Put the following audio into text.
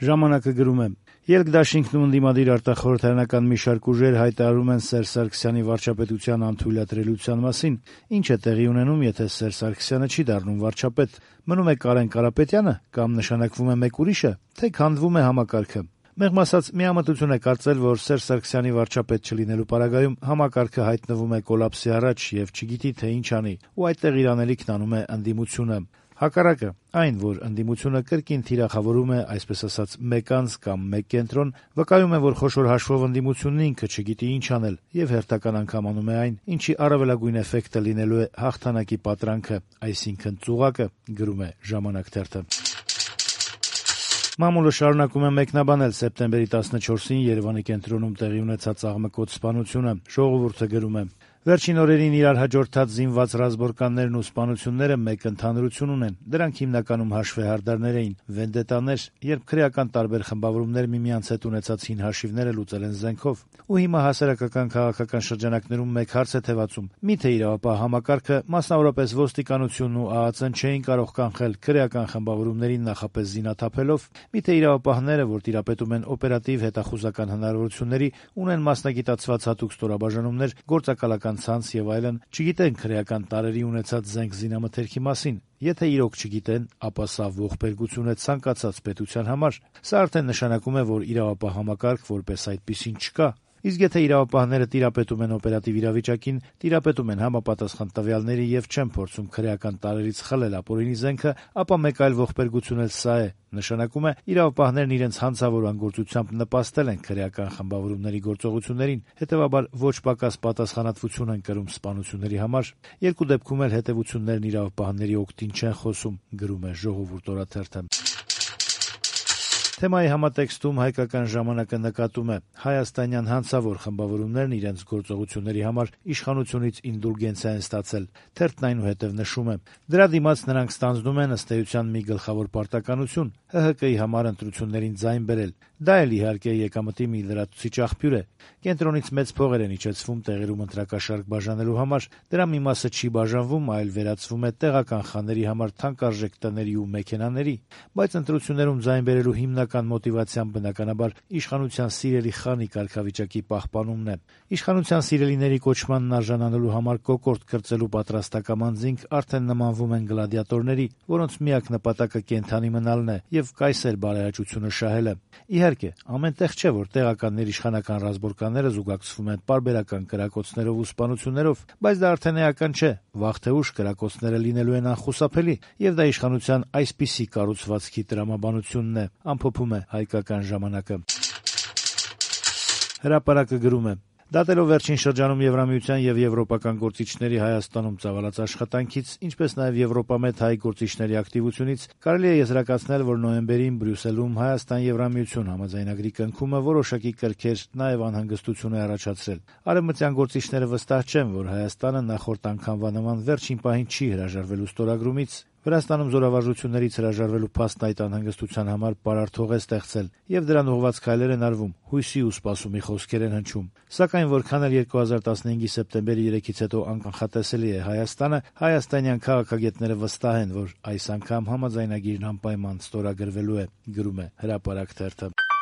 Ժամանակը գրում է. «Ելք դաշինքն ու ընդդիմադիր արտախորհրդարանական մի շարք ուժեր հայտարարում են Սերժ Սարգսյանի վարչապետության անթույլատրելիության մասին։ Ինչ է տեղի ունենում, եթե Սերժ Սարգսյանը չի դառնում վարչապետ։ Մնում է Կարեն Կարապետյա՞նը, կամ նշանակվում է մեկ ուրիշը, թե քանդվում է համակարգը։ Մեղմ ասած, միամտություն է կարծել, որ Սերժ Սարգսյանի վարչապետ չլինելու պարագայում համակարգը հայտնվում է կոլապսի առաջ եւ չգիտի, թե ինչ անի, ու այդտեղ իր անելիքն անում է ընդդիմությունը։ Հակառակը, այն, որ ընդդիմությունը կրկին թիրախավորում է, այսպես ասած, մեկ անձ կամ մեկ կենտրոն, վկայում է, որ խոշոր հաշվով ընդդիմությունն ինքը չգիտի ինչ անել եւ հերթական անգամ անում է այն, ինչի առավելագույն էֆեկտը լինելու է հաղթանակի պատրանքը, այսինքն ծուղակը», գրում է «Ժամանակ» թերթը։ Մամուլը շարունակում է մեկնաբանել սեպտեմբերի 14-ին Երևանի կենտրոնում տեղի ունեցած աղմկոտ սպանությունը։ Ժողովուրդը գրում է. «Վերջին օրերին իրար հաջորդած զինված ռազմորկաններն ու սպանությունները մեկ ընդհանրություն ունեն. դրանք հիմնականում հաշվեհարդարներ էին, վենդետաներ, երբ քրեական տարբեր խմբավորումներ միմյանց հետ ունեցած հին հաշիվները լուծել են զենքով։ Ու հիմա հասարակական քաղաքական շրջանակներում մեկ հարց է թևածում. միթե իրավապահ համակարգը, մասնավորապես ոստիկանությունն ու ԱԱԾ-ն չէին կարող կանխել քրեական խմբավորումներին նախապես զինաթափելով, միթե իրավապահները, որ տիրապետում են օպերատիվ հետախուզական հնարավորությունների, ունեն մասնագիտացված հատուկ ստորաբաժանումներ, գործակալական ցանց եւ այլն, չգիտեն քրեական տարրերի ունեցած զենք զինամթերքի մասին։ Եթե իրոք չգիտեն, ապա սա ողբերգություն է ցանկացած պետության համար։ Սա արդեն նշանակում է, որ իրավապահ համակարգ որպես այդպիսին չկա։ Իսկ եթե իրավապահները տիրապետում են օպերատիվ իրավիճակին, տիրապետում են համապատասխան տվյալների եւ չեն փորձում քրեական տարրերից խլել ապօրինի զենքը, ապա մեկ այլ ողբերգություն էլ սա է։ Նշանակում է, իրավապահներն իրենց հանցավոր անգործությամբ նպաստել են քրեական խմբավորումների գործողություններին, հետեւաբար ոչ պակաս պատասխանատվություն են կրում սպանությունների համար։ Երկու դեպքում էլ հետեւություններն իրավապահների օգտին չեն խոսում», գրում է «Ժողովուրդ» օրաթերթը։ Թեմայի համատեքստում «Հայկական ժամանակը» նկատում է. հայաստանյան հանցավոր խմբավորումներն իրենց գործողությունների համար իշխանությունից ինդուլգենցիա են ստացել։ Թերթն այնուհետև նշում է. դրա դիմաց նրանք ստանձնում են ըստ էության մի գլխավոր պարտականություն՝ ՀՀԿ-ի համար ընտրություններին ձայն բերել։ Դա էլ իհարկե եկամտի մի լրացուցիչ աղբյուր է։ Կենտրոնից մեծ փողեր են իջեցվում տեղերում ընտրակաշարք բաժանելու համար, դրա մի մասը չի բաժանվում, այլ վերածվում է տեղական խաների համար թանկարժեք տների ու մեքենաների, բայց ընտրություններում ձայն բերելու հիմնական մոտիվացիան բնականաբար իշխանության սիրելի խանի կարգավիճակի պահպանումն է։ Իշխանության սիրելիների կոչմանն արժանանալու համար կոկորտ կրծելու պատրաստակամ անձինք արդեն նմանվում են գլադիատորների, որոնց միակ նպատակը կենդանի մնալն է եւ կայսեր բարեհաճությունը շահելը։ Իհարկե, ամեն տեղ չէ, որ տեղական ներիշխանական ռազմորկանները զուգակցվում են պարբերական կրակոցներով ու սպանություններով, բայց դա արդեն էական չէ։ Վաղ թե ուշ կրակոցները լինելու են անխուսափելի, եւ դա իշխանության այսպիսի կառուցվածքի տրամաբանությունն է, ամփոփում է «Հայկական ժամանակը»։ Հրապարակը գրում է. Դատելով վերջին շրջանում Եվրամիության եւ եվրոպական գործիչների Հայաստանում ծավալած աշխատանքից, ինչպես նաեւ Եվրոպամետ հայ գործիչների ակտիվությունից, կարելի է եզրակացնել, որ նոյեմբերին Բրյուսելում Հայաստան-Եվրամիություն համաձայնագրի կնքումը որոշակի կրքեր, նաեւ անհանգստություն է առաջացրել։ Արևմտյան գործիչները վստահ չեն, որ Հայաստանը նախորդ անգամվա նման վերջին պահին չի հրաժարվելու ստորագրումից։ Վրաստանում զորավարժություններից հրաժարվելու փաստն այդ անհանգստության համար պարարթող է ստեղծել, եւ դրան ուղղված քայլեր են արվում, հույսի ու սպասումի խոսքեր են հնչում։ Սակայն որքան էլ 2015-ի սեպտեմբերի 3-ից հետո անկանխատեսելի է Հայաստանը, հայաստանյան քաղաքագետները վստահ են, որ այս անգամ համաձայնագիրն անպայման ստորագրվելու է, գրում է «Հրապարակ» թերթը։